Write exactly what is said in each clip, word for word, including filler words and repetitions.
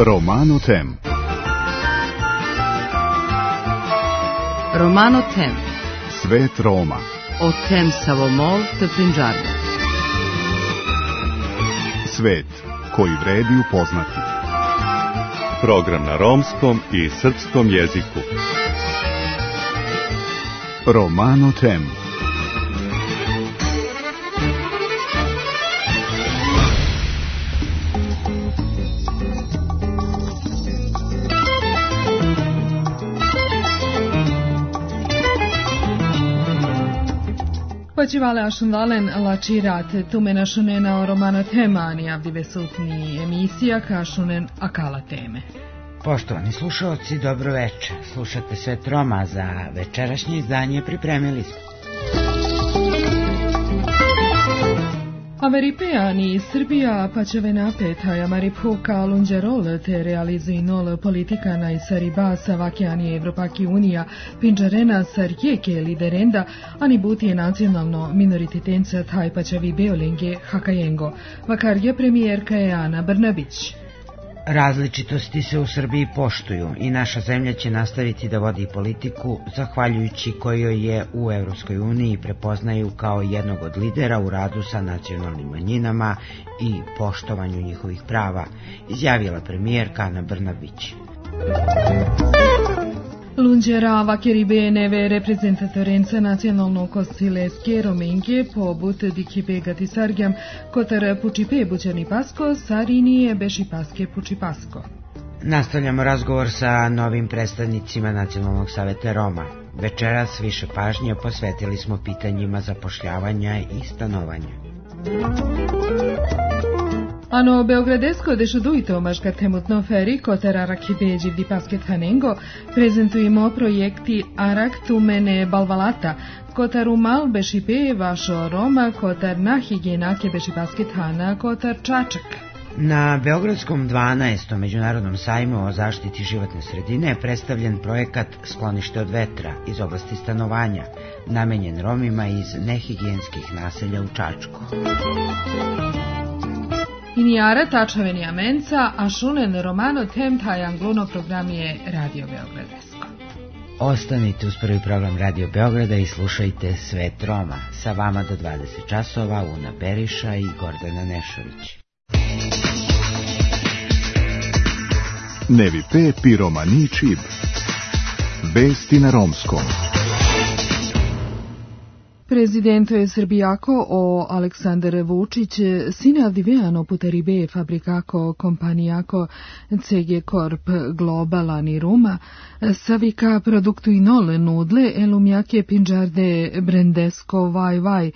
Romano Tem. Romano Tem. Svet Roma. O tem Savomol te Pinđarde. Svet koji vredi upoznati. Program na romskom i srpskom jeziku. Romano Tem. Počivale ašundalen lačirat tumena šunena o Romano Temani avdive sutni emisija kašunen akala teme. Poštovani slušalci, dobro večer. Slušate Svet Roma, za večerašnje izdanje pripremili smo. Averipeani iz Srbija pačeve napetaja maripuka lunđerol te realizuj nol politikana i saribasa vakjani Evropaki unija pinđarena sarjeke liderenda ani butije nacionalno minorititenca taj pačevi beolenge hakajengo. Vakar je premijerka je Ana Brnabić. Različitosti se u Srbiji poštuju i naša zemlja će nastaviti da vodi politiku zahvaljujući kojoj je u Evropskoj uniji prepoznaju kao jednog od lidera u radu sa nacionalnim manjinama i poštovanju njihovih prava, izjavila premijerka Ana Brnabić. Lunđera vakeribeneve reprezentatorenca nacionalnog kosileske romenke pobut dikipe gatisargjam kotar pučipe buđani pasko sarinije beši paske puči pasko. Nastavljamo razgovor sa novim predstavnicima Nacionalnog saveta Roma. Večeras više pažnje posvetili smo pitanjima zapošljavanja i stanovanja. Ano beogradesko dešadujto maška temutno feri kotar arak hibeđi vdi pasket hanengo prezentujemo projekti arak tumene balvalata kotar umal bešipe vašo Roma kotar na higijenake beši pasket hana kotar čačak. Na Beogradskom dvanaestom međunarodnom sajmu o zaštiti životne sredine je predstavljen projekat Sklonište od vetra iz oblasti stanovanja, namenjen Romima iz nehigijenskih naselja u Čačku. Inijara tačaveni amenca, a šunen Romano Tem taj angluno program je Radio Beogradesko. Ostanite uz prvi program Radio Beograda i slušajte Svet Roma. Sa vama do dvadeset časova Una Periša i Gordana Nešović. Nevi pe pi romani čib. Vesti na romskom. Prezidento je Srbijako o Aleksandar Vučić sine avdivejano puteribe fabrikako kompanijako ce ge Corp Global ani Ruma savika produktu inole nudle elumjake pinđarde brendesko vaj vaj.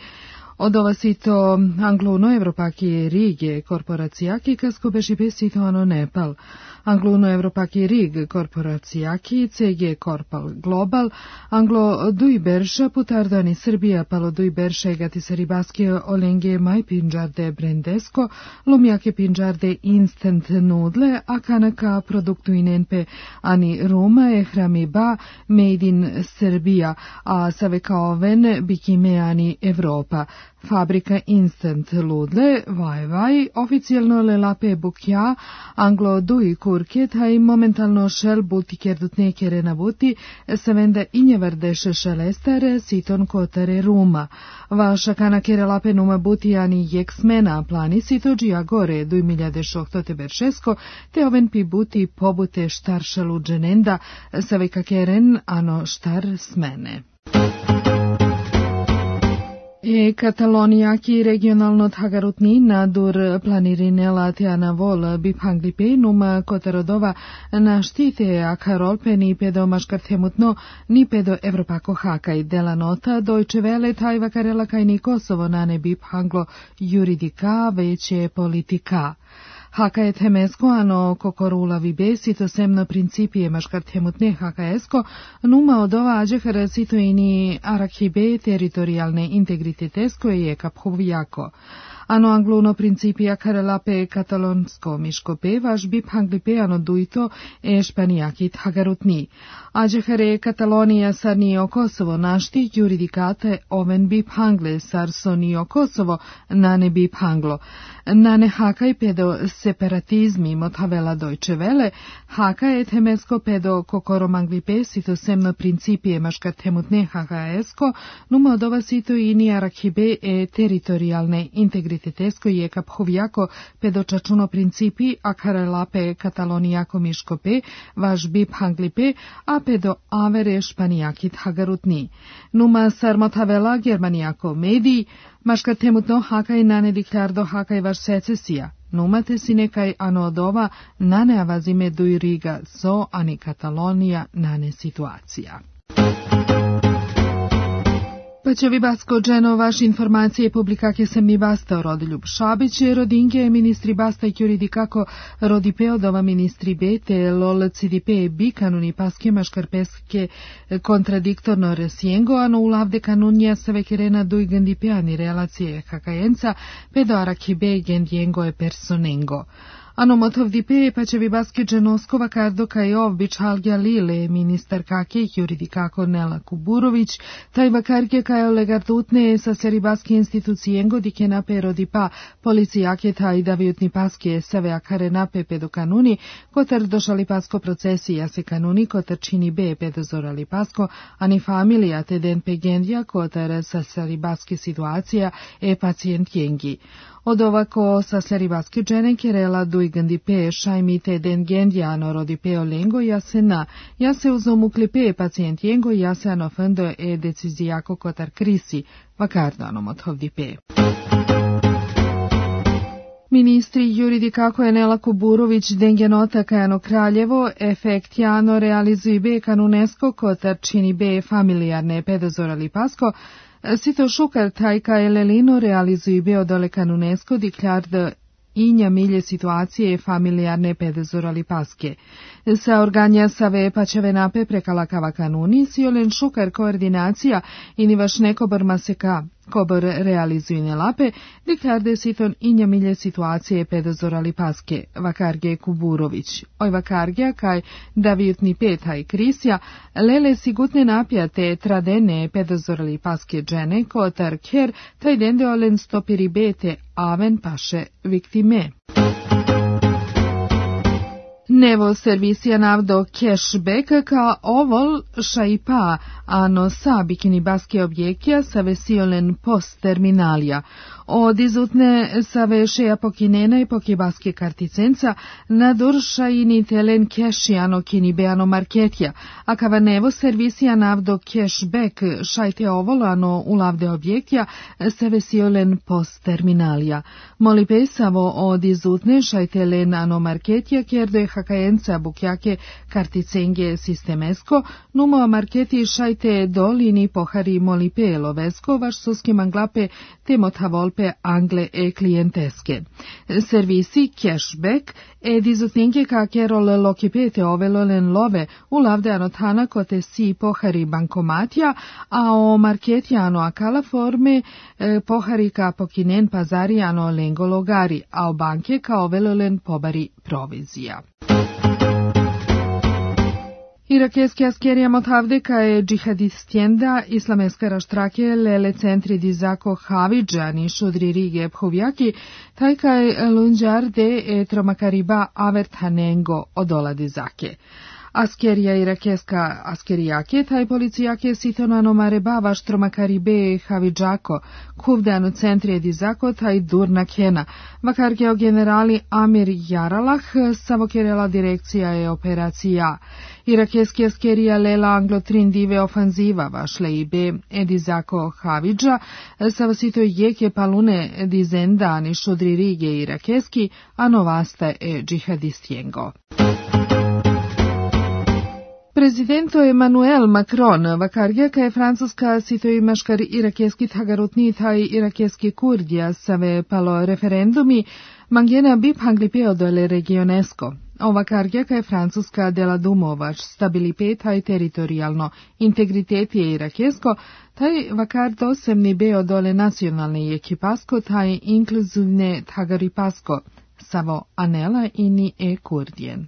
Od ova sito angluno evropaki rige korporacijaki kasko beši besito ano Nepal. Angluno evropaki rig korporacijaki ce ge Corpal Global anglo duj berša putardani Srbija palo duj berša egati saribaske olenge maj pinđarde brendesko lumjake pinđarde instant nudle a kanaka produktu inenpe ani Ruma e hrami ba made in Srbija a saveka oven bikime ani Evropa. Fabrika Instant Ludle, vaj vaj, oficijalno le lape bukja, anglo duj kurke, taj momentalno šel butiker dutnekere na buti, se vende injevardeše šelestare, siton kotare Ruma. Vaša kanakere lape numa butijani jeksmena plani sitođija gore duj miljade šoktote beršesko, te oven pi buti pobute štar šaluđenenda, saveka keren ano štar smene. E Katalonijaki regionalno thagarutni nadur planirine lateana vol biphanglipe numa kotarodova na štite a karolpe ni pedo maškartemutno ni pedo Evropako hakaj dela nota Deutsche Welle tajva karela kaj ni Kosovo na ne biphanglo juridika veće politika. Haka je temesko ano kokorula vibe sito semno principije maškartemutne hakaesko numa od ova ađehara sito ini arakhibe teritorijalne integritetesko je kaphovjako. Ano angluno principija karelape katalonsko miškope vaš bip hanglipe ano dujto e španijaki thagarutni. Ađehare Katalonija sarnio Kosovo našti juridikate oven bip hangle sar sonio Kosovo na ne bip hanglo. Nane Hakaj pedo separatizmi motavela Deutsche Welle, Hakaj temesko pedo kokoromangvipe sito semno principie maškatemutne hakaesko, numo dova sito ini arakibe e teritorijalne integritetesko je kaphovjako pedo čačuno principi akarelape katalonijako miškope, vaš bip hanglipe, a pedo avere španijakit hagarutni. Numa sarmotavela germanijako mediji, maška temutno hakaj nane diklardo hakaj vaš secesija. Numate si nekaj ano odova nane avazime duiriga so ani Katalonija nane situacija. Pa će vi basko dženo vaš informacije publikake sem ni basta o Rodiljub Šabić, rodinke ministri basta i juridikako rodipe odova ministri bete lol cidipe bikanuni paske maškarpeske kontradiktorno resiengo, ano ulavde kanunja save kerena dui gendipeani relacije hakajenca pedo arakibe gendiengo e personengo. Ano motov dipe pa će vi baske dženoskova kardo kaj ovbić halgja lile ministar kake juridikako Nela Kuburović, taj vakarke kaj olegardutne sa seribaske institucijengo dike nape rodipa policijake taj davijutni paske save akare nape pedo kanuni, kotar došali pasko procesi jase kanuni kotar čini be pedo zorali pasko, ani familija te den pegendja kotar sa seribaske situacija e pacijent jengi. Od ovako sa seribaske džene kerela duigandi pe šajmite den gendjano rodipeo lengo jasena, jase uzomukli pe pacijent jengo jase anofendo e decizijako kotar krisi, vakardo anomothovdi pe. Ministri juridikako je Nela Kuburović dengenota kajano Kraljevo, efekt jano realizuj be kanunesko kotar čini be familijarne pedozorali pasko, sito šukar tajka elelino realizuj be odole kanunesko diklardo inja milje situacije familijarne pedezorali paske. Sa organja save pačeve nape prekalakava kanuni, si olen šukar koordinacija ini vaš nekobor maseka kobor realizujne lape, diklarde siton inja milje situacije pedozorali paske, vakarge Kuburović. Oj vakargja kaj davijutni petaj krisja, lele sigutne napjate tradene pedozorali paske džene, kotar ker taj dende olen stopiri bete aven paše viktime. Nevo servisija navdo cashback ka ovol šaipa ano sa bikini baske objekja sa vesiolen post terminalija. Od izutne sa vešeja pokinena i pokibaske karticenca nadur šaini telen keši ano kini beano marketja, a kava nevo servisija navdo cashback šajte ovol ano ulavde objekja sa vesiolen post terminalija. Moli pesavo od izutne šajte len ano marketja kerdo je hakajenca bukjake karticenge sistemesko, numo marketi šajte dolini pohari molipe lovesko vaš suski manglape temotavol angle e klijenteske. Servisi cashback e dizutninke ka kerol lokipete ovelolen love u lavde anotana kote si pohari bankomatja, a o marketjano akala forme e, pohari ka pokinen pazarijano lengo logari, a o banke ka ovelolen pobari provizija. Irakeski askerija motavde kaje džihadistjenda islameska raštrake lele centri dizako Havidžani šudri rige phovjaki, taj kaj lunđarde e tromakariba avertanengo odola dizake. Askerija irakeska askerijake, taj policijake sitonano mareba vaš tromakaribe Havidžako, kuvdano centri dizako taj durna kena, vakargeo generali Amir Jaralah, savokerela direkcija je operacija. Irakeski askerija lela anglotrin dive ofanziva vašle ibe edizako Havidža, savasito jeke palune dizendani šudri rige irakeski, a novasta e džihadistjengo. Prezidento Emmanuel Macron vakargja ka je francuska sito i maškar irakeski tagarutni taj irakeski kurdja save palo referendumi mangena bip hanglipeo dole regionesko. Ovakargja ka je francuska dela dumovač stabilipe taj teritorijalno integritet je irakesko, taj vakar dosem ni beo dole nacionalne ekipasko taj inkluzivne tagaripasko savo anela ini e kurdjen.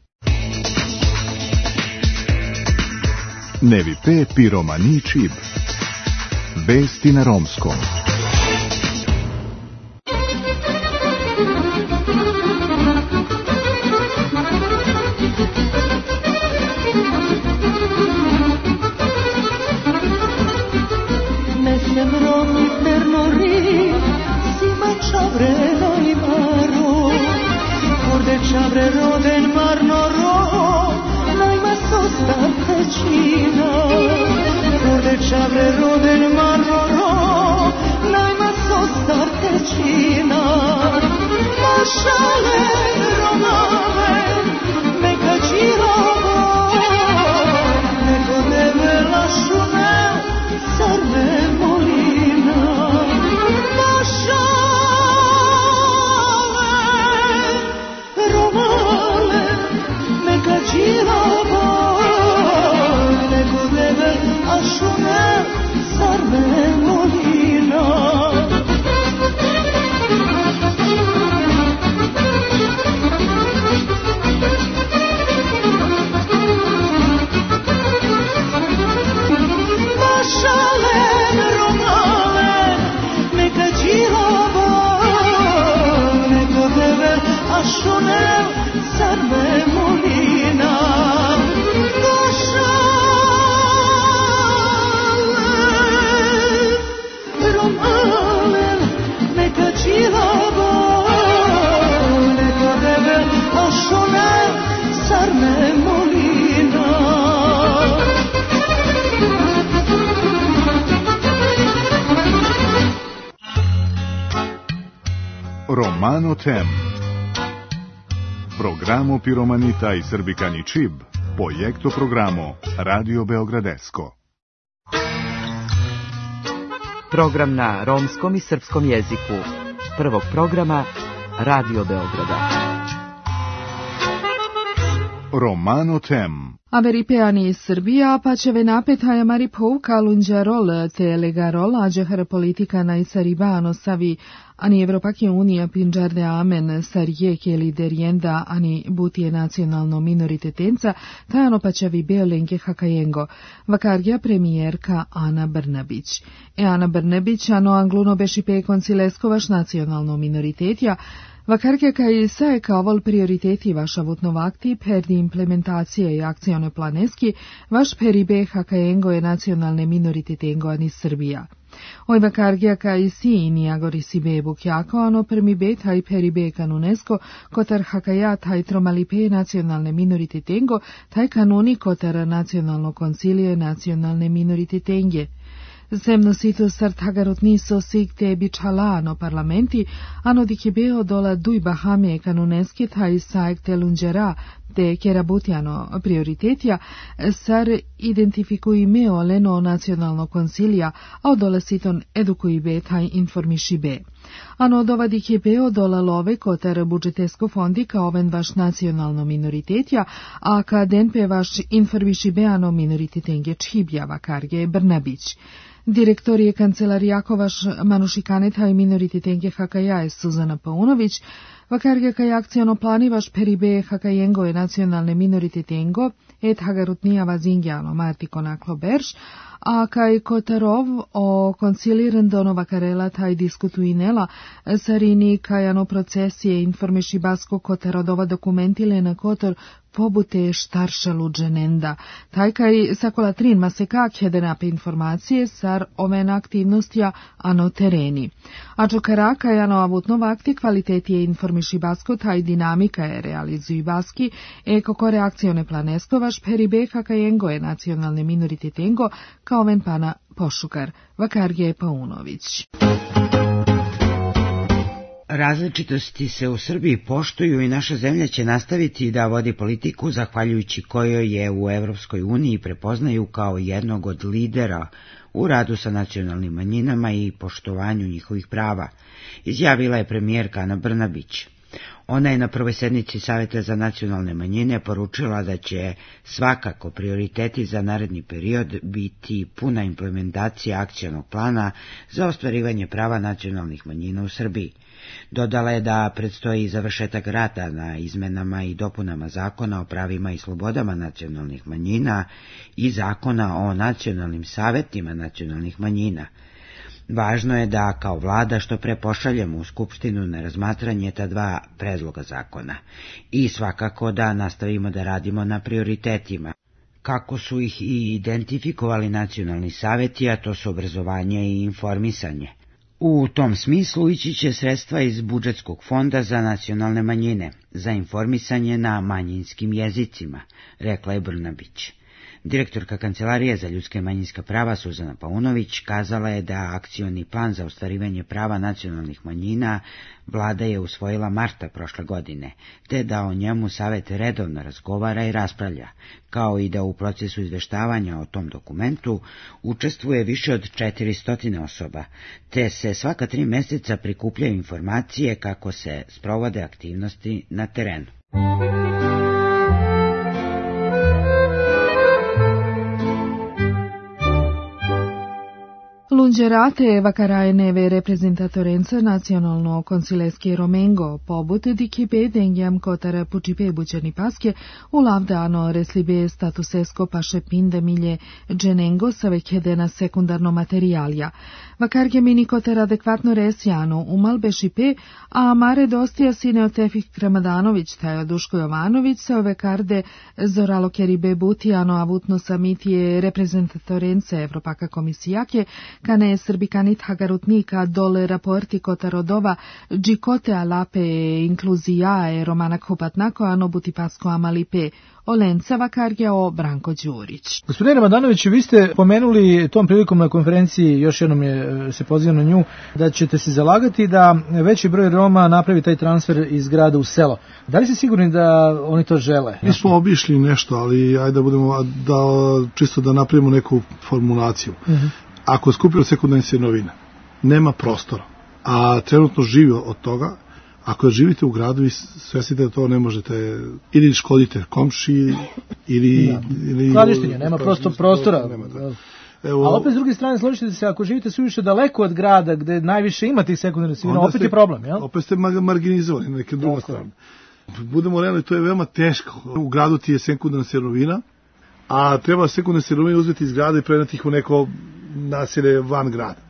Nevi pe piromani čib. Vesti na romskom. sembrò per morire, si mangiavreno i maro, corde ciavrero del mar noro, noi ma sosta vicina, corde ciavrero del mar noro, noi ma sosta vicina, ma šale romave, neka čirava, neko tebe lašune, sarme molina, ma šale romave, neka čirava, neko tebe lašune, sarme molina. Šunev, sarme molina, došale, romale, neka čilava, neka tebe, a šunev, sarme molina. Romano Tem. Programo Piromanita i Srbikani Čib, projekto programo Radio Beogradesko. Program na romskom i srpskom jeziku. Prvog programa Radio Beograda. Romano Tem. Averipeani iz Srbija, pa će venapetaja mari pouka lunđarol te legarol, ađehar politika na isaribano savi, ani Evropake unija pinđarde amen sarijeke liderienda, ani butije nacionalno minoritetenca, tajano pa će vi beolenke hakajengo, vakargja premijerka Ana Brnabić. E Ana Brnabić, ano angluno bešipe koncileskovaš nacionalno minoritetja, vakarke kaj se kao vol prioriteti vaša vutnovakti perdi implementacije i akcione planeski, vaš peribe hakajengo je nacionalne minoritetengo ani Srbija. Oj vakargija kaj si ini agori si bebuk jako, ano permibe taj peribe kanunesko, kotar hakaja taj tromalipe nacionalne minoritetengo, taj kanuni kotar nacionalno koncilije nacionalne minoritetenje. Zemnosito sartagarot niso sig te bičalano parlamenti, ano dikibeo dola duj bahame kanuneske taj saek te lunđera te kerabutjano prioritetja, sar identifikuj meo leno nacionalno koncilija, a odola siton edukuj be taj informiši be. Ano dova dikibeo dola love kotar budžetesko fondi kao oven vaš nacionalno minoritetja, a ka denpe vaš informiši be ano minorititenge čhibja vakarge Brnabić. Direktor je kancelarijako manušikaneta i minorititenke Hakajaje Suzana Paunović, vakarge kaj akciono plani vaš peribe Hakajengo je nacionalne minorititengo, et hagarutnija vazingjano Marti Konaklo Berš, a kaj Kotarov o konciliran dono vakarela taj diskutuinela, sarini kaj ano procesije informiši basko Kotarodova dokumentile na Kotor pobute štarša luđenenda. Taj kaj sakola trin maseka kjedenape informacije sar oven aktivnostja ano tereni. A čokara kaj ano avutno vakti kvaliteti je informiši basko taj dinamika je realizuj baski e kako reakcione planesko vaš peribe hakajengo je nacionalne minoritetengo kao oven pana Pošukar, Vakarge Paunović. Različitosti se u Srbiji poštuju i naša zemlja će nastaviti da vodi politiku zahvaljujući kojoj je u Evropskoj uniji prepoznaju kao jednog od lidera u radu sa nacionalnim manjinama i poštovanju njihovih prava, izjavila je premijerka Ana Brnabić. Ona je na prvoj sednici Saveta za nacionalne manjine poručila da će svakako prioriteti za naredni period biti puna implementacija akcionog plana za ostvarivanje prava nacionalnih manjina u Srbiji. Dodala je da predstoji završetak rada na izmenama i dopunama Zakona o pravima i slobodama nacionalnih manjina i Zakona o nacionalnim savetima nacionalnih manjina. Važno je da kao vlada što pre pošaljemo u Skupštinu na razmatranje ta dva predloga zakona i svakako da nastavimo da radimo na prioritetima. kako su ih i identifikovali nacionalni saveti, a to su obrazovanje i informisanje. U tom smislu ići će sredstva iz budžetskog fonda za nacionalne manjine, za informisanje na manjinskim jezicima, rekla je Brnabić. Direktorka Kancelarije za ljudska i manjinska prava Suzana Paunović kazala je da akcioni plan za ostvarivanje prava nacionalnih manjina vlada je usvojila marta prošle godine, te da o njemu Savet redovno razgovara i raspravlja, kao i da u procesu izveštavanja o tom dokumentu učestvuje više od četiristo osoba, te se svaka tri mjeseca prikupljaju informacije kako se sprovode aktivnosti na terenu. Lungerate vacarajneve reprezentatorență naționalno consileschi romengo, pobut di chipe dengiam cotara pucipe buceni pasche, u lavdano reslibe statusesco paše pinde milje genengo sa vechedena sekundarno materialja. Vacarge mini cotara adekvatno resjano umal bešipe, a mare dostija sine Tefik Kramadanović, tajo Duško Jovanović, se ove karde zoralo keribe butijano avutno samitije reprezentatorence Evropaka komisijake, kane srbikanit hagarutnika dole raporti kotarodova džikote alape inkluzija e romana kopatnako ano butipasko amalipe Olenca Vakarge o Branko Đurić. Gospodine Ramadanović, vi ste pomenuli tom prilikom na konferenciji, još jednom je se poziva na nju, da ćete se zalagati da veći broj Roma napravi taj transfer iz grada u selo. Da li ste sigurni da oni to žele? Mi smo obišli nešto, ali ajde da budemo, da, čisto da napravimo neku formulaciju. Uh-huh. Ako je skupio sekundarne sirovine, nema prostora, a trenutno živi od toga, ako živite u gradu i svesite da to ne možete, ili škodite komši, ili... Ja. ili Skladištenje, nema prosto prostora. Nema da. Evo, a opet s druge strane, složite se, ako živite suviše daleko od grada, gde najviše ima tih sekundarnih sirovina, opet ste, je problem, jel? Opet ste marginizovani na neke druge strane. Budemo realni, to je veoma teško. U gradu ti je sekundarna sirovina, a treba sekundarne sirovine uzeti iz grada i preneti ih u neko naselje van grada.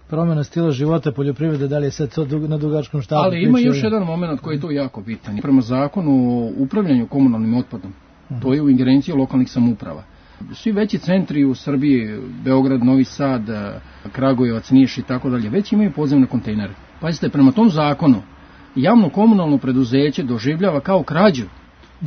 Promjena stila života, poljoprivrede, da li je sad to na dugačkom štapu? Ali ima još jedan moment koji je tu jako bitan. Prema zakonu o upravljanju komunalnim otpadom, uh-huh. to je u ingerenciji lokalnih samouprava. Svi veći centri u Srbiji, Beograd, Novi Sad, Kragujevac, Niš i tako dalje, već imaju podzemne kontejnere. Pazite, prema tom zakonu javno komunalno preduzeće doživljava kao krađu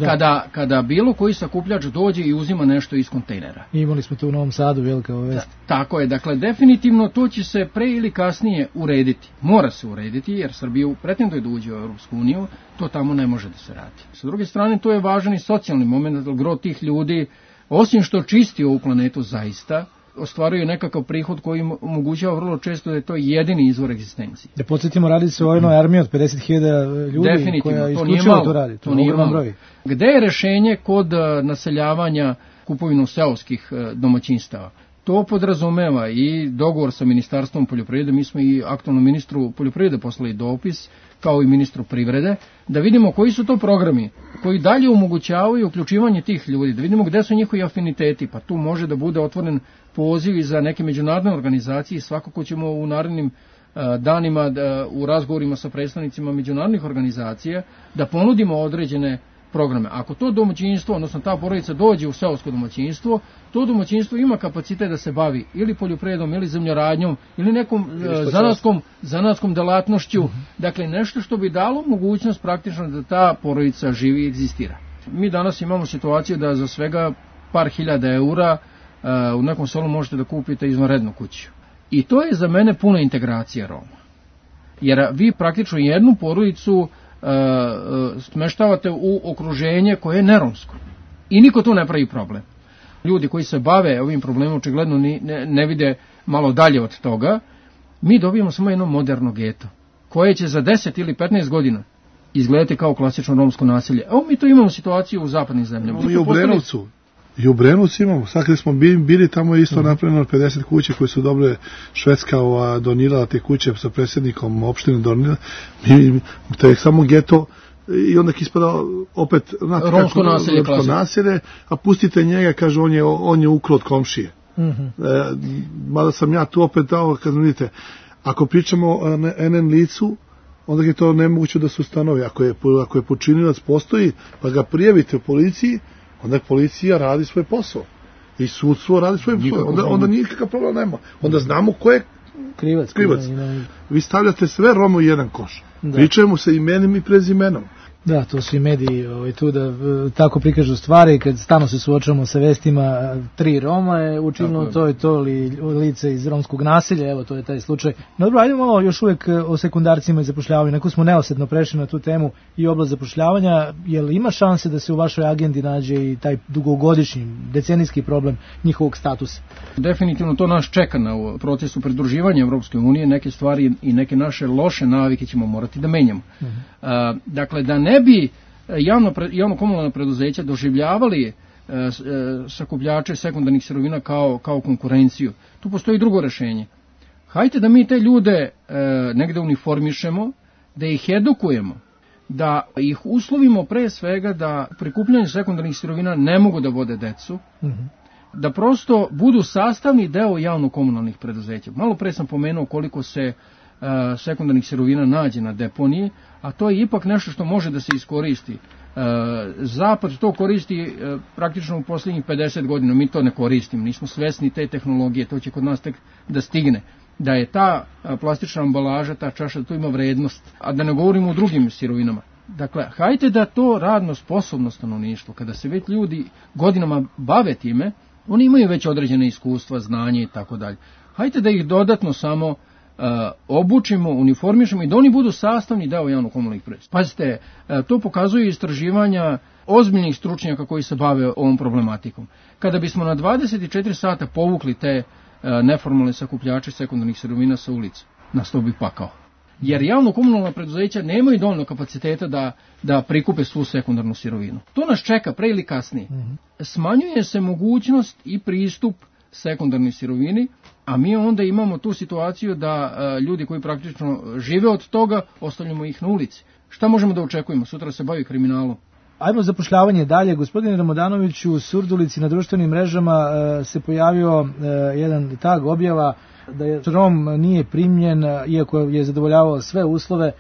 kada, kada bilo koji sakupljač dođe i uzima nešto iz kontejnera. Imali smo to u Novom Sadu, velika vest. Tako je, dakle, definitivno to će se pre ili kasnije urediti. Mora se urediti, jer Srbija pretenduje da uđe u Europsku uniju, to tamo ne može da se radi. Sa druge strane, to je važan i socijalni moment, da gro tih ljudi, osim što čisti ovu planetu zaista, ostvaruju nekakav prihod koji omogućava vrlo često da je to jedini izvor egzistencije. Da podsjetimo, radi se o jednoj armiji od pedeset hiljada ljudi koja isključivo to radi. To, to nije malo. Broj. Gde je rešenje kod naseljavanja kupovinu seoskih domaćinstava? To podrazumeva i dogovor sa Ministarstvom poljoprivrede. Mi smo i aktualnom ministru poljoprivrede poslali dopis, kao i ministru privrede, da vidimo koji su to programi koji dalje omogućavaju uključivanje tih ljudi, da vidimo gde su njihovi afiniteti, pa tu može da bude otvoren poziv i za neke međunarodne organizacije. Svakako ćemo u narednim uh, danima da, u razgovorima sa predstavnicima međunarodnih organizacija da ponudimo određene programe. Ako to domaćinstvo, odnosno ta porodica dođe u seosko domaćinstvo, to domaćinstvo ima kapacitet da se bavi ili poljoprivredom, ili zemljoradnjom, ili nekom uh, zanatskom, zanatskom delatnošću, uh-huh. dakle nešto što bi dalo mogućnost praktično da ta porodica živi i egzistira. Mi danas imamo situaciju da za svega par hiljada eura uh, u nekom selu možete da kupite izvanrednu kuću. I to je za mene puna integracija Roma. Jer vi praktično jednu porodicu Uh, uh, smeštavate u okruženje koje je neromsko. I niko tu ne pravi problem. Ljudi koji se bave ovim problemom očigledno ni, ne, ne vide malo dalje od toga. Mi dobijemo samo jedno moderno geto, koje će za deset ili petnaest godina izgledati kao klasično romsko naselje. Evo mi to imamo situaciju u zapadnim zemljama. I u Brenovcu. I u Brenovcu imamo. Sad kada smo bili, bili tamo je isto napravljeno pedeset kuće koje su dobre. Švedska ova, donirala te kuće sa predsjednikom opštine donirala. Mi, to je samo geto i onda ispada opet znate, romsko naselje, naselje, a pustite njega, kaže on je, on je ukro od komšije. Mm-hmm. E, mada sam ja tu opet dao, kad vidite, ako pričamo o en en licu, onda je to nemoguće da se ustanovi. Ako je, ako je počinilac postoji, pa ga prijavite u policiji, onda policija radi svoj posao i sudstvo radi svoj posao, onda, onda nikakav problem nema, onda znamo ko je krivac. krivac. Vi stavljate sve Roma u jedan koš, da. Pričajmo se imenom i prezimenom. Da, to su i mediji ovaj, tu da tako prikažu stvari, kad stano se suočavamo sa vestima tri Roma je učinilo to i to li, lice iz romskog nasilja, evo to je taj slučaj. No dobro, ajde malo još uvek o sekundarcima i zapošljavanju, neko smo neosetno prešli na tu temu i oblast zapošljavanja, jel ima šanse da se u vašoj agendi nađe i taj dugogodišnji, decenijski problem njihovog statusa? Definitivno to nas čeka na procesu pridruživanja Evropske unije, neke stvari i neke naše loše navike ćemo morati da menjamo. Uh-huh. A, dakle, da ne bi javno, javno komunalna preduzeća doživljavali e, e, sakupljače sekundarnih sirovina kao, kao konkurenciju. Tu postoji drugo rešenje. Hajde da mi te ljude e, negde uniformišemo, da ih edukujemo, da ih uslovimo pre svega da prikupljanje sekundarnih sirovina ne mogu da vode decu, mm-hmm. da prosto budu sastavni deo javno-komunalnih preduzeća. Malo pre sam pomenuo koliko se uh, sekundarnih sirovina nađe na deponiji, a to je ipak nešto što može da se iskoristi. Uh, Zapad to koristi uh, praktično u posljednjih pedeset godina, mi to ne koristimo, nismo svesni te tehnologije, to će kod nas tek da stigne. Da je ta uh, plastična ambalaža, ta čaša, tu ima vrednost, a da ne govorimo o drugim sirovinama. Dakle, hajde da to radno sposobno stanovništvo, kada se već ljudi godinama bave time, oni imaju već određene iskustva, znanje i tako dalje. Hajde da ih dodatno samo uh, obučimo, uniformišemo i da oni budu sastavni deo javno-komunalnih preduzeća. Pazite, uh, to pokazuju istraživanja ozbiljnih stručnjaka koji se bave ovom problematikom. Kada bismo na dvadeset četiri sata povukli te uh, neformalne sakupljače sekundarnih sirovina sa ulice, nastao bi pakao. Jer javno-komunalna preduzeća nemaju dovoljno kapaciteta da, da prikupe svu sekundarnu sirovinu. To nas čeka pre ili kasnije. Mm-hmm. Smanjuje se mogućnost i pristup sekundarnoj sirovini, a mi onda imamo tu situaciju da a, ljudi koji praktično žive od toga, ostavljamo ih na ulici. Šta možemo da očekujemo? Sutra se bavi kriminalom. Ajmo zapošljavanje dalje. Gospodine Ramodanović, u Surdulici na društvenim mrežama a, se pojavio a, jedan tag objava da je Rom nije primljen, iako je zadovoljavao sve uslove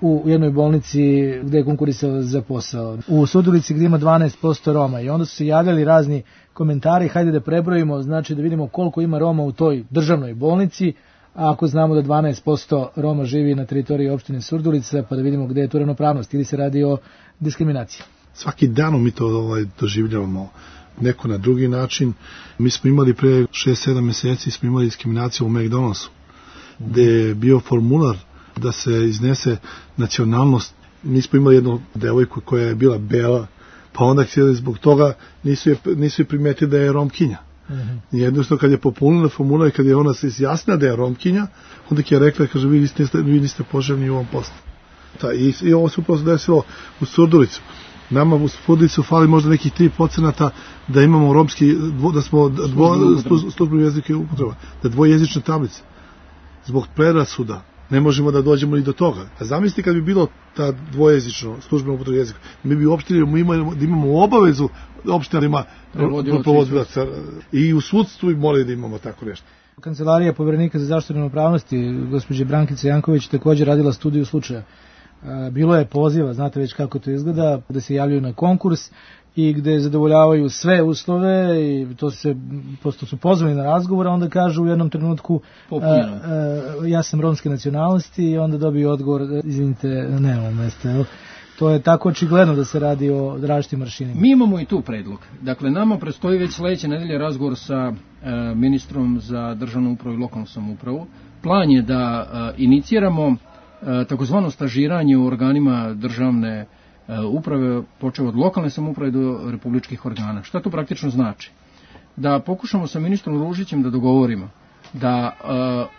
u jednoj bolnici gde je konkurisao za posao. U Surdulici gde ima dvanaest posto Roma i onda su se javljali razni komentari, hajde da prebrojimo, znači da vidimo koliko ima Roma u toj državnoj bolnici, a ako znamo da dvanaest posto Roma živi na teritoriji opštine Surdulica, pa da vidimo gde je tu ravnopravnost ili se radi o diskriminaciji. Svaki dan mi to ovaj, doživljavamo neko na drugi način. Mi smo imali pre šest sedam meseci smo imali diskriminaciju u McDonald'su, mm-hmm. gde je bio formular da se iznese nacionalnost. Mi smo imali jednu devojku koja je bila bela, pa onda zbog toga nisu je, nisu je primetili da je Romkinja. Mm-hmm. Jednostavno kad je popunila formular i kad je ona se izjasnila da je Romkinja, onda je rekla, kaže, vi niste, vi niste poželjni u ovom poslu. Ta, i, I ovo se upravo desilo u Surdulicu. Nama u Surdulicu fali možda nekih tri procenata da imamo romski, dvo, da smo službeni jezik je upotreba, da dvojezične tablice. Zbog predrasuda ne možemo da dođemo ni do toga. A zamislite kad bi bilo ta dvojezično službeno upotreba jezika, mi bi uopštili da imamo, da imamo obavezu opštinarima provodioca i u sudstvu i morali da imamo tako nešto. Kancelarija Poverenika za zaštitu ravnopravnosti, gospođe Brankice Janković, također radila studiju slučaja. Bilo je poziva, znate već kako to izgleda, da se javljaju na konkurs i gde zadovoljavaju sve uslove i to se, posto su pozvani na razgovor, a onda kažu u jednom trenutku a, a, ja sam romske nacionalnosti i onda dobiju odgovor, izvinite, nemamo mesta, evo. To je tako očigledno da se radi o različitim aršinima. Mi imamo i tu predlog. Dakle, nama predstoji već sledeće nedelje razgovor sa e, ministrom za državnu upravu i lokalnu samoupravu. Plan je da e, iniciramo e, takozvano stažiranje u organima državne e, uprave, počeo od lokalne samouprave do republičkih organa. Šta to praktično znači? Da pokušamo sa ministrom Ružićem da dogovorimo da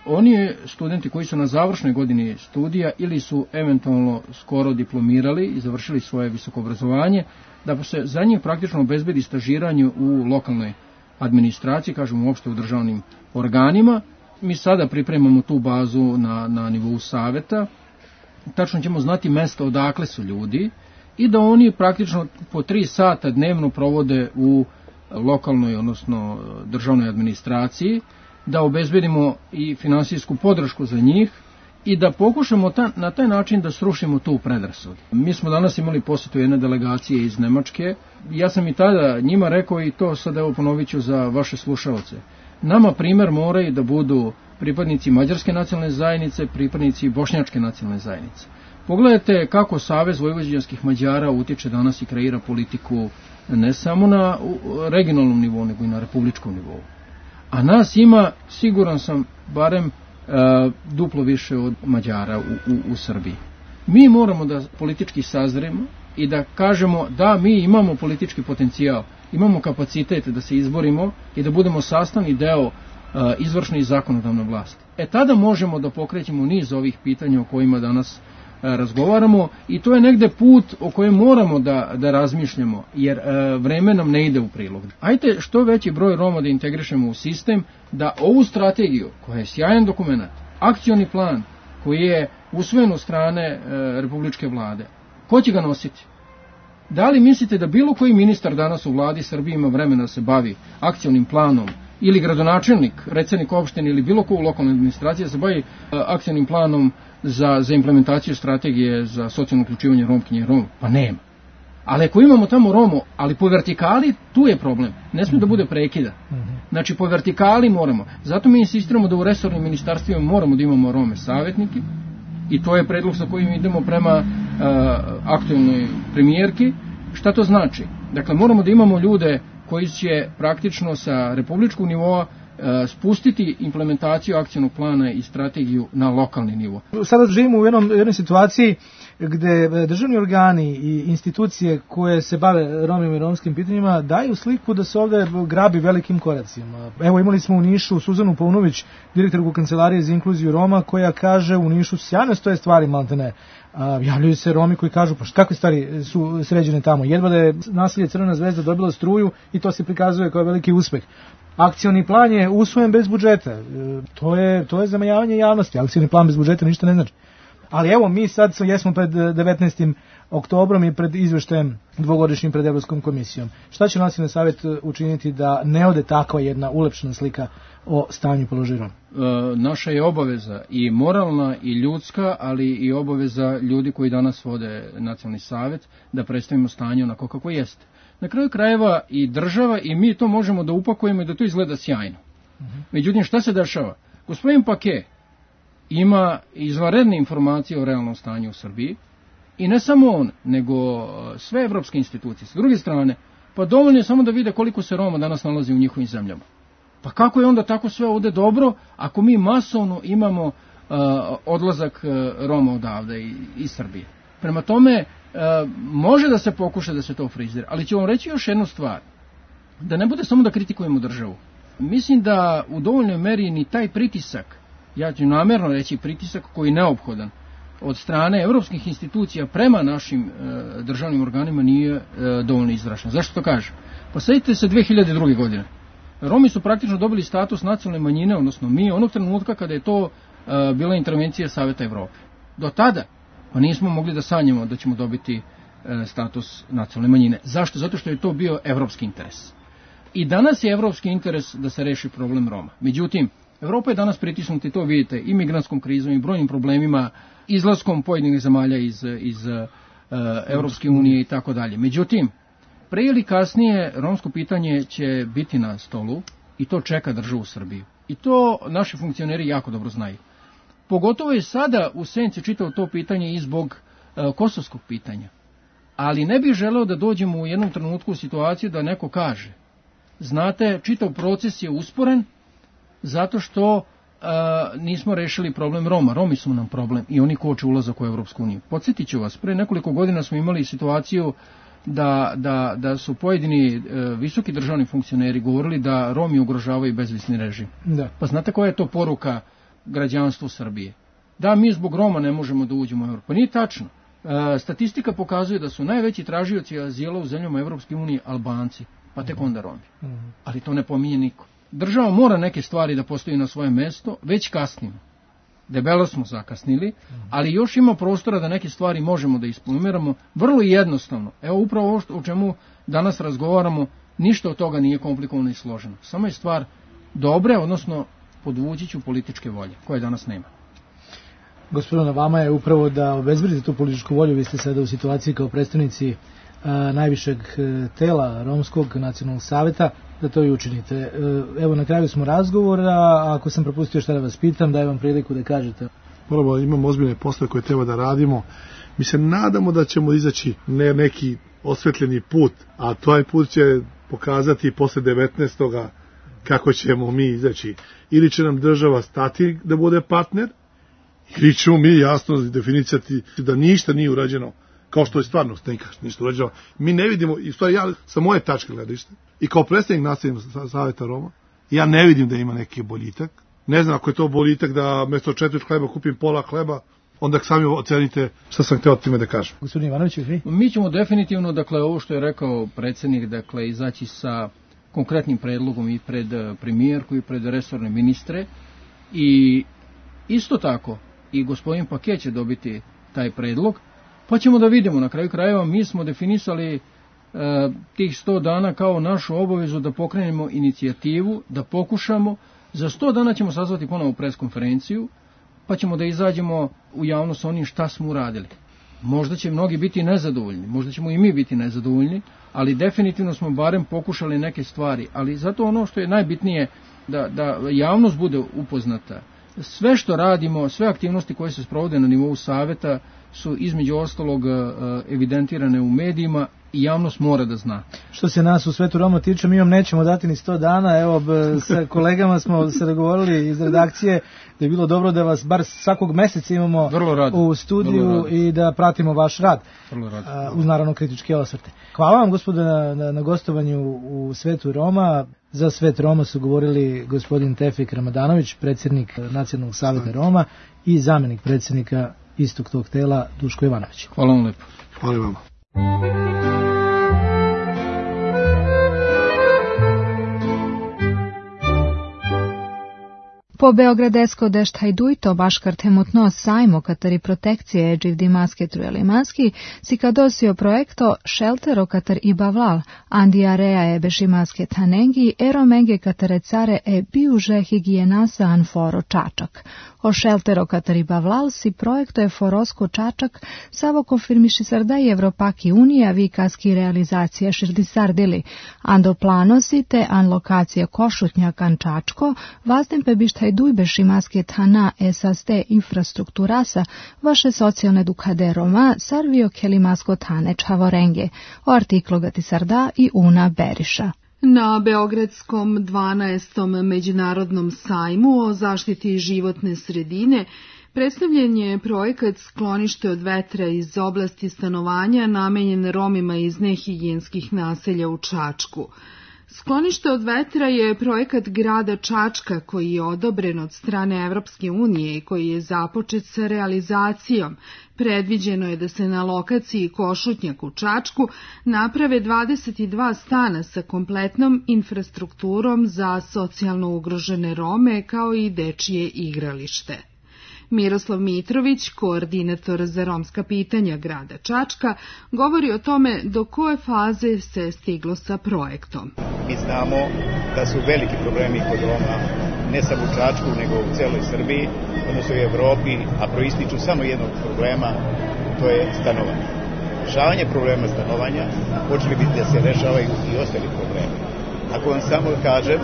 uh, oni studenti koji su na završnoj godini studija ili su eventualno skoro diplomirali i završili svoje visoko obrazovanje, da se za njih praktično obezbedi stažiranje u lokalnoj administraciji, kažemo uopšte u državnim organima. Mi sada pripremamo tu bazu na, na nivou saveta, tačno ćemo znati mesta odakle su ljudi i da oni praktično po tri sata dnevno provode u lokalnoj, odnosno državnoj administraciji, da obezbedimo i finansijsku podršku za njih i da pokušamo ta, na taj način da srušimo tu predrasudu. Mi smo danas imali posjetu jedne delegacije iz Nemačke. Ja sam i tada njima rekao i to sad evo ponovit ću za vaše slušalce. Nama primer moraju da budu pripadnici mađarske nacionalne zajednice, pripadnici bošnjačke nacionalne zajednice. Pogledajte kako Savez vojvođanskih Mađara utječe danas i kreira politiku ne samo na regionalnom nivou, nego i na republičkom nivou. A nas ima, siguran sam, barem e, duplo više od Mađara u, u, u Srbiji. Mi moramo da politički sazremo i da kažemo da mi imamo politički potencijal, imamo kapacitet da se izborimo i da budemo sastavni deo e, izvršne i zakonodavne vlasti. E tada možemo da pokrećemo niz ovih pitanja o kojima danas razgovaramo i to je negde put o kojem moramo da, da razmišljamo, jer e, vreme nam ne ide u prilog. Ajde što veći broj Roma da integrišemo u sistem, da ovu strategiju, koja je sjajan dokument, akcioni plan koji je usvojen od strane e, republičke vlade, ko će ga nositi? Da li mislite da bilo koji ministar danas u vladi Srbije ima vremena da se bavi akcionim planom, ili gradonačelnik, recednik opštine ili bilo ko u lokalnoj administraciji da se bavi e, akcionim planom za, za implementaciju strategije za socijalno uključivanje Romkinje i Roma? Pa nema. Ali ako imamo tamo Romo, ali po vertikali, tu je problem. Ne smije da bude prekida. Znači po vertikali moramo. Zato mi insistiramo da u resornim ministarstvima moramo da imamo Rome savjetniki i to je predlog sa kojim idemo prema uh, aktualnoj premijerki. Šta to znači? Dakle, moramo da imamo ljude koji će praktično sa republičkog nivoa spustiti implementaciju akcionog plana i strategiju na lokalni nivo. Sada živimo u jednom, jednoj situaciji gde državni organi i institucije koje se bave romima i romskim pitanjima daju sliku da se ovde grabi velikim koracima. Evo imali smo u Nišu Suzanu Paunović, direktorku Kancelarije za inkluziju Roma, koja kaže u Nišu sjajno stoje stvari maltene. A, javljaju se Romi koji kažu pa kakve stvari su sređene tamo. Jedva da je naselje Crvena zvezda dobila struju i to se prikazuje kao veliki uspeh. Akcioni plan je usvojen bez budžeta. E, to je to je zamajavanje javnosti. Akcioni plan bez budžeta ništa ne znači. Ali evo mi sad jesmo pred devetnaestim oktobrom i pred izveštajem dvogodišnjim pred Evropskom komisijom. Šta će Nacionalni savjet učiniti da ne ode takva jedna ulepšana slika o stanju položaja Roma? E, naša je obaveza i moralna i ljudska, ali i obaveza ljudi koji danas vode Nacionalni savjet da predstavimo stanje onako kako jeste. Na kraju krajeva i država i mi to možemo da upakujemo i da to izgleda sjajno. Uh-huh. Međutim, šta se dešava? Gospodin Pake ima izvanredne informacije o realnom stanju u Srbiji i ne samo on, nego sve evropske institucije. S druge strane, pa dovoljno je samo da vide koliko se Roma danas nalazi u njihovim zemljama. Pa kako je onda tako sve ovde dobro ako mi masovno imamo uh, odlazak uh, Roma odavde i, iz Srbije? Prema tome, uh, može da se pokuša da se to frizira, ali ću vam reći još jednu stvar. Da ne bude samo da kritikujemo državu. Mislim da u dovoljnoj meri ni taj pritisak, ja ću namjerno reći pritisak koji je neophodan od strane evropskih institucija prema našim e, državnim organima nije e, dovoljno izražen. Zašto to kažem? Pa sjetite se dve hiljade druge. godine. Romi su praktično dobili status nacionalne manjine, odnosno mi, onog trenutka kada je to e, bila intervencija Saveta Evrope. Do tada pa nismo mogli da sanjamo da ćemo dobiti e, status nacionalne manjine. Zašto? Zato što je to bio evropski interes. I danas je evropski interes da se reši problem Roma. Međutim, Evropa je danas pritisnuta i to vidite i migrantskom krizom i brojnim problemima, izlaskom pojedinih zemalja iz, iz uh, Evropske unije i tako dalje. Međutim, pre ili kasnije romsko pitanje će biti na stolu i to čeka državu Srbiju. I to naši funkcioneri jako dobro znaju. Pogotovo je sada u senci čitao to pitanje i zbog uh, kosovskog pitanja. Ali ne bih želeo da dođemo u jednom trenutku u situaciju da neko kaže, znate, čitav proces je usporen zato što a, nismo rešili problem Roma. Romi su nam problem i oni koče ulazak u Evropsku uniju. Podsjetit ću vas, pre nekoliko godina smo imali situaciju da, da, da su pojedini e, visoki državni funkcioneri govorili da Romi ugrožavaju bezvisni režim. Da. Pa znate koja je to poruka građanstvu Srbije? Da, mi zbog Roma ne možemo da uđemo u Evropu. Pa nije tačno. E, statistika pokazuje da su najveći tražioci azila u zemljama Evropske unije Albanci, pa tek onda Romi. Mm-hmm. Ali to ne pominje niko. Država mora neke stvari da postoji na svoje mesto, već kasnimo. Debelo smo zakasnili, ali još ima prostora da neke stvari možemo da isplumiramo vrlo jednostavno. Evo upravo ovo o čemu danas razgovaramo, ništa od toga nije komplikovano i složeno. Samo je stvar dobre, odnosno podvući ću političke volje, koje danas nema. Gospodine, na vama je upravo da obezbedite tu političku volju. Vi ste sada u situaciji kao predstavnici a, najvišeg tela Romskog nacionalnog saveta, da to i učinite. E, evo, na kraju smo razgovora, a ako sam propustio šta da vas pitam, dajem vam priliku da kažete. Moramo, imamo ozbiljne poslove koje treba da radimo. Mi se nadamo da ćemo izaći ne neki osvetljeni put, a taj put će pokazati posle devetnaestoga kako ćemo mi izaći. Ili će nam država stati da bude partner, ili ćemo mi jasno definicati da ništa nije urađeno kao što je stvarno ništa urađeno. Mi ne vidimo, i stvari ja sa moje tačke gledište, i kao predstavnik nacionalnog saveta Roma, ja ne vidim da ima neki boljitak. Ne znam ako je to boljitak da mesto četiri hleba kupim pola hleba, onda sami ocenite šta sam hteo time da kažem. Gospodin Ivanović, vi? Mi ćemo definitivno, dakle, ovo što je rekao predsjednik, dakle, izaći sa konkretnim predlogom i pred premijerku i pred resorne ministre, i isto tako i gospodin Pake će dobiti taj predlog, pa ćemo da vidimo. Na kraju krajeva mi smo definisali e, tih sto dana kao našu obavezu da pokrenemo inicijativu, da pokušamo. Za sto dana ćemo sazvati ponovo preskonferenciju, pa ćemo da izađemo u javnost sa onim šta smo uradili. Možda će mnogi biti nezadovoljni, možda ćemo i mi biti nezadovoljni, ali definitivno smo barem pokušali neke stvari. Ali zato ono što je najbitnije, da, da javnost bude upoznata. Sve što radimo, sve aktivnosti koje se sprovode na nivou saveta su između ostalog evidentirane u medijima i javnost mora da zna. Što se nas u Svetu Roma tiče, mi vam nećemo dati ni sto dana. Evo, sa kolegama smo se dogovorili iz redakcije da je bilo dobro da vas bar svakog meseca imamo u studiju i da pratimo vaš rad, uz naravno kritičke osvrte. Hvala vam, gospodine, na, na, na gostovanju u Svetu Roma. Za Svet Roma su govorili gospodin Tefik Ramadanović, predsjednik Nacionalnog saveta Roma, i zamjenik predsjednika istog tog tela Duško Ivanović. Hvala vam lepo. Hvala vam. Po Beogradesko dešt hajdujto baškar temutno sajmo kateri protekcije eđiv dimaske trujelimanski si kadosio projekto šeltero kater i bavlal, andiarea e bešimaske tanengi, ero menge katere care e biuže higijenasa anforo čačak. O šeltero kater i bavlal si projekto je forosko čačak savo konfirmiši sarda i Evropaki unija vikaski realizacija širdisardili, ando planosi te an lokacija košutnjak an čačko, vazden pe bišta Hajdujbe šimaske tana esaste infrastrukturasa vaše socijalne dukade Roma sarvio kelimasko tane čavorenge, o artiklogati sarda i una Beriša. Na Beogradskom dvanaestom međunarodnom sajmu o zaštiti životne sredine predstavljen je projekat Sklonište od vetra iz oblasti stanovanja namenjen Romima iz nehigijenskih naselja u Čačku. Sklonište od vetra je projekat grada Čačka koji je odobren od strane Evropske unije i koji je započet sa realizacijom. Predviđeno je da se na lokaciji Košutnjak u Čačku naprave dvadeset dva stana sa kompletnom infrastrukturom za socijalno ugrožene Rome kao i dečije igralište. Miroslav Mitrović, koordinator za romska pitanja grada Čačka, govori o tome do koje faze se stiglo sa projektom. Mi znamo da su veliki problemi kod Roma, ne samo u Čačku, nego u celoj Srbiji, odnosno u Evropi, a proističu samo jednog problema, to je stanovanje. Rešavanje problema stanovanja počeli bi da se rešavaju i ostali problemi. Ako vam samo kažem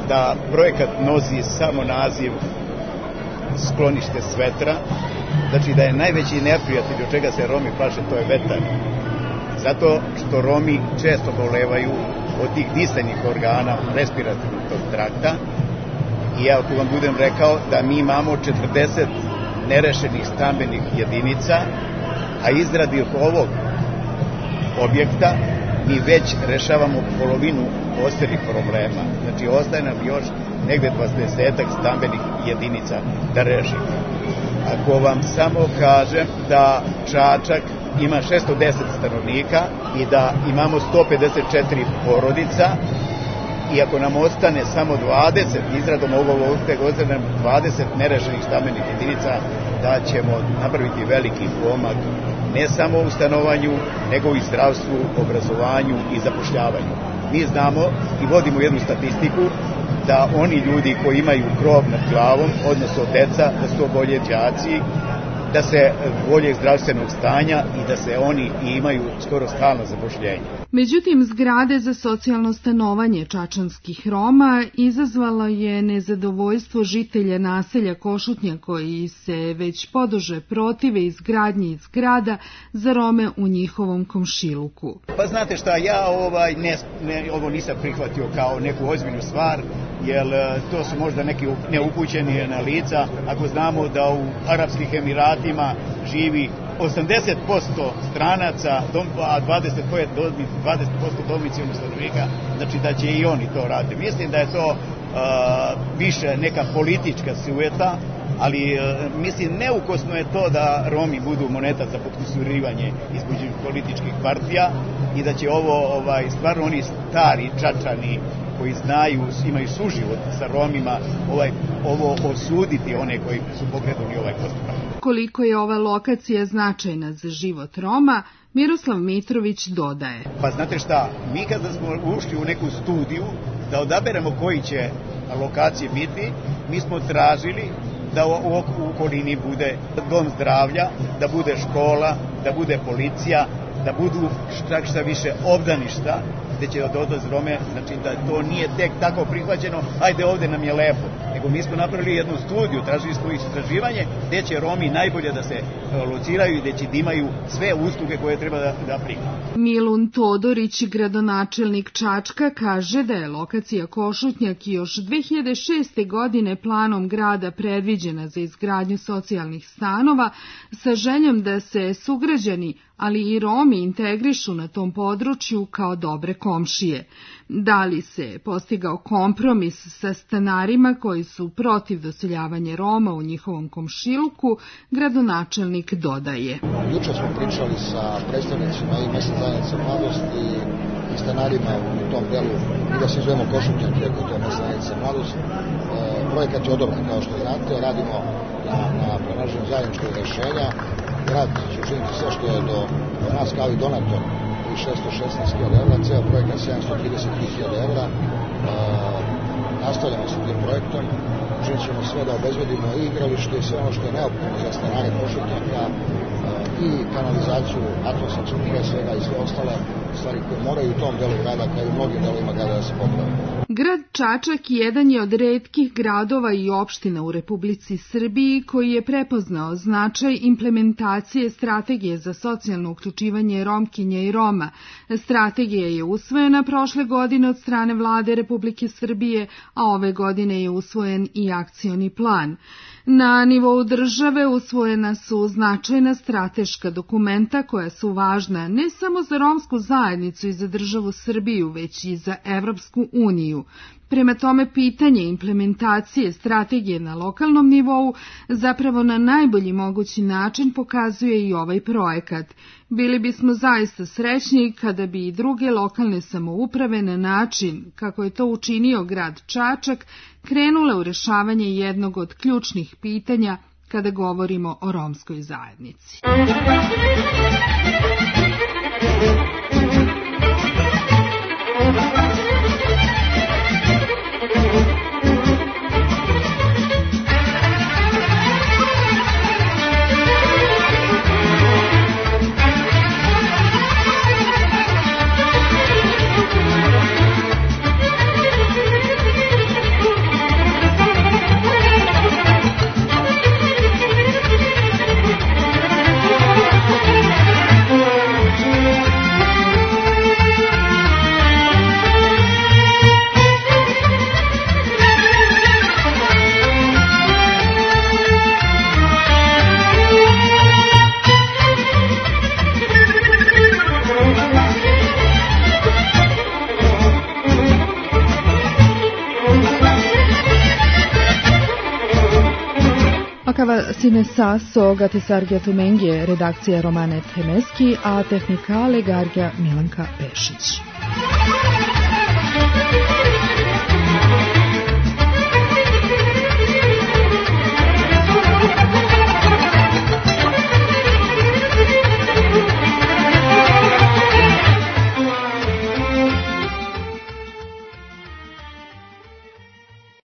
da projekat nosi samo naziv Sklonište s vetra, znači da je najveći neprijatelj od čega se Romi plaše, to je vetar. Zato što Romi često bolevaju od tih disajnih organa respiratornog trakta i ja tu vam budem rekao da mi imamo četrdeset nerešenih stambenih jedinica, a izradi ovog objekta mi već rešavamo polovinu ostalih problema. Znači ostaje nam još negde dvadesetak stambenih jedinica da rešimo. Ako vam samo kažem da Čačak ima šesto deset stanovnika i da imamo sto pedeset četiri porodica i ako nam ostane samo dvadeset, izradom ovog ostane nam dvadeset nerešenih stambenih jedinica, da ćemo napraviti veliki pomak ne samo u stanovanju, nego i zdravstvu, obrazovanju i zapošljavanju. Mi znamo i vodimo jednu statistiku da oni ljudi koji imaju krov nad glavom, odnosno deca, da su to bolje đaci, da se bolje zdravstvenog stanja i da se oni imaju skoro stalno zapošljenje. Međutim, zgrade za socijalno stanovanje čačanskih Roma izazvalo je nezadovoljstvo žitelja naselja Košutnja koji se već poduže protive izgradnji zgrada za Rome u njihovom komšiluku. Pa znate šta, ja ovaj, ne, ne, ovo nisam prihvatio kao neku ozbiljnu stvar, jer to su možda neki neupućeni na lica, ako znamo da u Arapskih Emiratima živi osamdeset posto stranaca, a dvadeset posto domicilnih stanovnika, znači da će i oni to raditi. Mislim da je to uh, više neka politička sujeta, ali uh, mislim neukosno je to da Romi budu moneta za potkusurivanje između političkih partija i da će ovo ovaj, stvarno oni stari Čačani koji znaju, imaju suživot sa Romima, ovaj, ovo osuditi one koji su pokrenuli ovaj postupak. Koliko je ova lokacija značajna za život Roma, Miroslav Mitrović dodaje. Pa znate šta, mi kada smo ušli u neku studiju da odaberemo koji će lokacije biti, mi smo tražili da u, u okolini bude dom zdravlja, da bude škola, da bude policija, da budu šta, šta više obdaništa, gde će odlaz Rome, znači da to nije tek tako prihvaćeno, ajde ovde nam je lepo, nego mi smo napravili jednu studiju, tražili smo istraživanje gde će Romi najbolje da se lociraju i gde će da imaju sve usluge koje treba da, da prihvate. Milun Todorić, gradonačelnik Čačka, kaže da je lokacija Košutnjak još dve hiljade šeste. godine planom grada predviđena za izgradnju socijalnih stanova sa željom da se sugrađani, ali i Romi integrišu na tom području kao dobre komšije. Da li se postigao kompromis sa stanarima koji su protiv doseljavanja Roma u njihovom komšiluku, gradonačelnik dodaje. Juče smo pričali sa predstavnicima i mesne zajednice Mladosti i stanarima u tom delu, i da se zovemo Košutnjak, iako to je mesna zajednica Mladost. E, projekat je odobren, kao što znate, radimo na, na pronaženju zajedničkog rešenja. Grad će učiniti sve što je do, do nas kao i donator i šesto šesnaest hiljada evra, ceo projekat sedamsto trideset hiljada evra. E, nastavljamo sa tim projektom, učinit ćemo sve da obezbedimo i igralište i sve ono što je neophodno za stanare Košutnjaka, e, i kanalizaciju, atmosfersku pre svega i sve ostale stvari koje moraju u tom delu grada kao i u mnogim delovima grada da se poprave. Grad Čačak jedan je od retkih gradova i opština u Republici Srbiji koji je prepoznao značaj implementacije strategije za socijalno uključivanje Romkinja i Roma. Strategija je usvojena prošle godine od strane vlade Republike Srbije, a ove godine je usvojen i akcioni plan. Na nivou države usvojena su značajna strateška dokumenta koja su važna ne samo za romsku zajednicu i za državu Srbiju, već i za Evropsku uniju. Prema tome, pitanje implementacije strategije na lokalnom nivou zapravo na najbolji mogući način pokazuje i ovaj projekat. Bili bismo zaista srećni kada bi i druge lokalne samouprave na način, kako je to učinio grad Čačak, krenule u rešavanje jednog od ključnih pitanja kada govorimo o romskoj zajednici. Akava sine saso gatisargia tumengije redakcija Romane Temeski, a tehnikale Gargija Milanka Pešić.